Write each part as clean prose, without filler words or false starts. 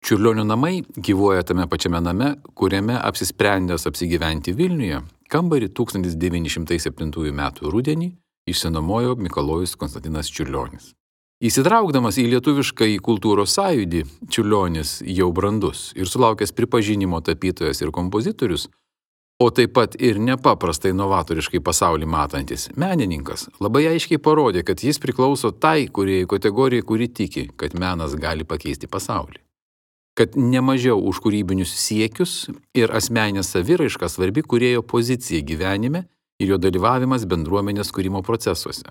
Čiurlionio namai gyvuoja tame pačiame name, kuriame apsisprendęs apsigyventi Vilniuje, kambarį 1907 m. rudenį išsinuomojo Mikalojus Konstantinas Čiurlionis. Įsitraukdamas į lietuviškąjį kultūros sąjūdį, Čiurlionis jau brandus ir sulaukęs pripažinimo tapytojas ir kompozitorius, o taip pat ir nepaprastai novatoriškai pasaulį matantis menininkas, labai aiškiai parodė, kad jis priklauso tai kūrėjų kategorijai, kuri tiki, kad menas gali pakeisti pasaulį. Kad nemažiau už kūrybinius siekius ir asmeninę saviraišką svarbi kūrėjo pozicija gyvenime ir jo dalyvavimas bendruomenės kūrimo procesuose.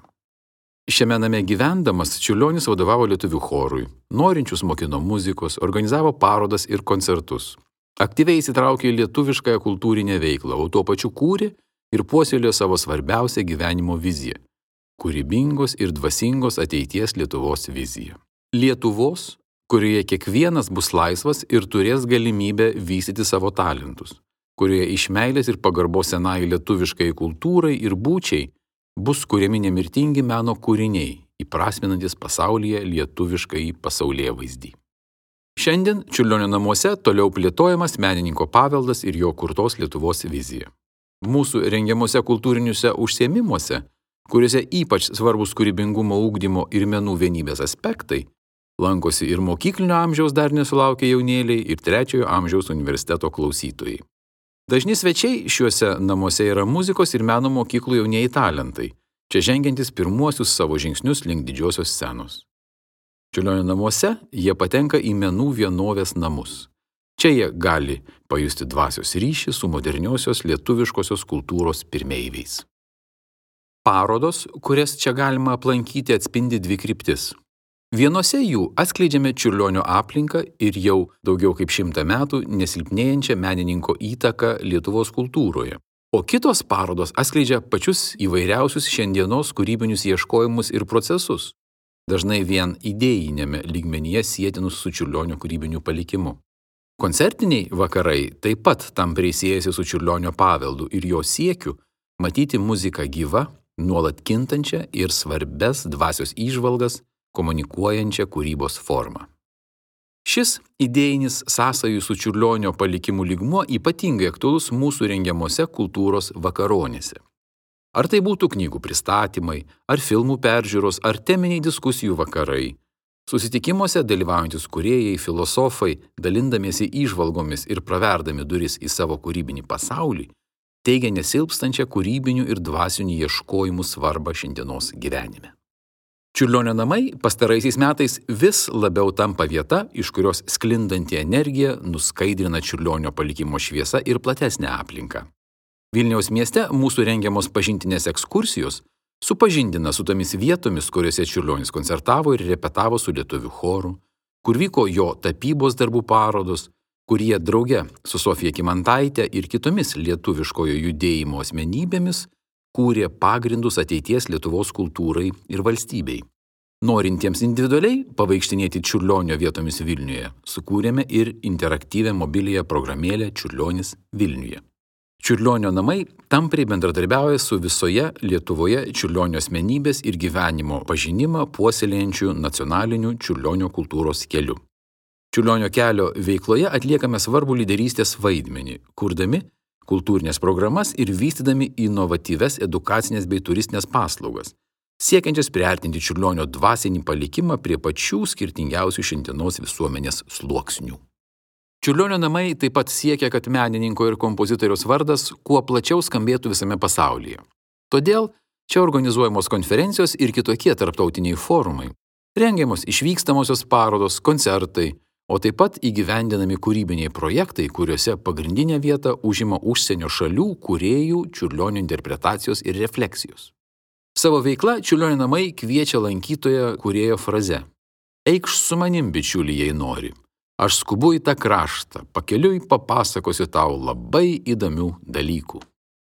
Šiame name gyvendamas Čiurlionis vadovavo lietuvių chorui, norinčius mokino muzikos, organizavo parodas ir koncertus. Aktyviai įsitraukė į lietuviškąją kultūrinę veiklą, o tuo pačiu kūrė ir puoselėjo savo svarbiausią gyvenimo viziją – kūrybingos ir dvasingos ateities Lietuvos viziją. Lietuvos, kurioje kiekvienas bus laisvas ir turės galimybę vystyti savo talentus, kurioje iš meilės ir pagarbos senai lietuviškai kultūrai ir būčiai bus kuriami nemirtingi meno kūriniai, įprasminantis pasaulyje lietuviškai pasaulėvaizdį. Šiandien Čiurlionio namuose toliau plėtojamas menininko paveldas ir jo kurtos Lietuvos vizija. Mūsų rengiamuose kultūriniuose užsiėmimuose, kuriuose ypač svarbus kūrybingumo ugdymo ir menų vienybės aspektai, lankosi ir mokyklinio amžiaus dar nesulaukę jaunėliai ir 3 amžiaus universiteto klausytojai. Dažni svečiai šiuose namuose yra muzikos ir meno mokyklų jaunieji talentai, čia žengiantis pirmuosius savo žingsnius link didžiosios scenos. Čiurlionio namuose jie patenka į menų vienovės namus. Čia jie gali pajusti dvasios ryšį su moderniosios lietuviškosios kultūros pirmeiviais. Parodos, kurias čia galima aplankyti, atspindi 2 kryptis. Vienose jų atskleidžiame Čiurlionio aplinką ir jau daugiau kaip 100 metų nesilpnėjančią menininko įtaką Lietuvos kultūroje, o kitos parodos atskleidžia pačius įvairiausius šiandienos kūrybinius ieškojimus ir procesus, dažnai vien idėjinėme lygmenyje sietinus su Čiurlionio kūrybiniu palikimu. Koncertiniai vakarai taip pat tampriai siejasi su Čiurlionio paveldu ir jo siekiu matyti muziką gyvą, nuolat kintančią ir svarbes dvasios įžvalgas komunikuojančią kūrybos formą. Šis idėjinis sąsajų su Čiurlionio palikimu lygmuo ypatingai aktualus mūsų rengiamose kultūros vakaronėse. Ar tai būtų knygų pristatymai, ar filmų peržiūros, ar teminiai diskusijų vakarai, susitikimuose dalyvaujantis kūrėjai, filosofai, dalindamiesi įžvalgomis ir praverdami duris į savo kūrybinį pasaulį, teigia nesilpstančią kūrybinių ir dvasinių ieškojimų svarbą šiandienos gyvenime. Čiurlionio namai pastaraisiais metais vis labiau tampa vieta, iš kurios sklindanti energija nuskaidrina Čiurlionio palikimo šviesą ir platesnę aplinką. Vilniaus mieste mūsų rengiamos pažintinės ekskursijos supažindina su tomis vietomis, kuriuose Čiurlionis koncertavo ir repetavo su lietuvių choru, kur vyko jo tapybos darbų parodos, kur jie drauge su Sofija Kymantaite ir kitomis lietuviškojo judėjimo asmenybėmis kūrė pagrindus ateities Lietuvos kultūrai ir valstybei. Norintiems individualiai pavaikštinėti Čiurlionio vietomis Vilniuje, sukūrėme ir interaktyvią mobiliąją programėlę Čiurlionis Vilniuje. Čiurlionio namai tampriai bendradarbiauja su visoje Lietuvoje Čiurlionio asmenybės ir gyvenimo pažinimą puoselėjančių nacionaliniu Čiurlionio kultūros keliu. Čiurlionio kelio veikloje atliekame svarbų lyderystės vaidmenį, kurdami kultūrinės programas ir vystydami inovatyves edukacinės bei turistinės paslaugas, siekiančias priartinti Čiurlionio dvasinį palikimą prie pačių skirtingiausių šiandienos visuomenės sluoksnių. Čiurlionio namai taip pat siekia, kad menininko ir kompozitoriaus vardas kuo plačiau skambėtų visame pasaulyje. Todėl čia organizuojamos konferencijos ir kitokie tarptautiniai forumai, rengiamos išvykstamosios parodos, koncertai, o taip pat įgyvendinami kūrybiniai projektai, kuriuose pagrindinę vietą užima užsienio šalių kūrėjų Čiurlionio interpretacijos ir refleksijos. Savo veikla Čiurlionio namai kviečia lankytoją kūrėjo fraze: "Eikš su manim, bičiuli, jei nori. Aš skubu į tą kraštą, pakeliui papasakosiu tau labai įdomių dalykų."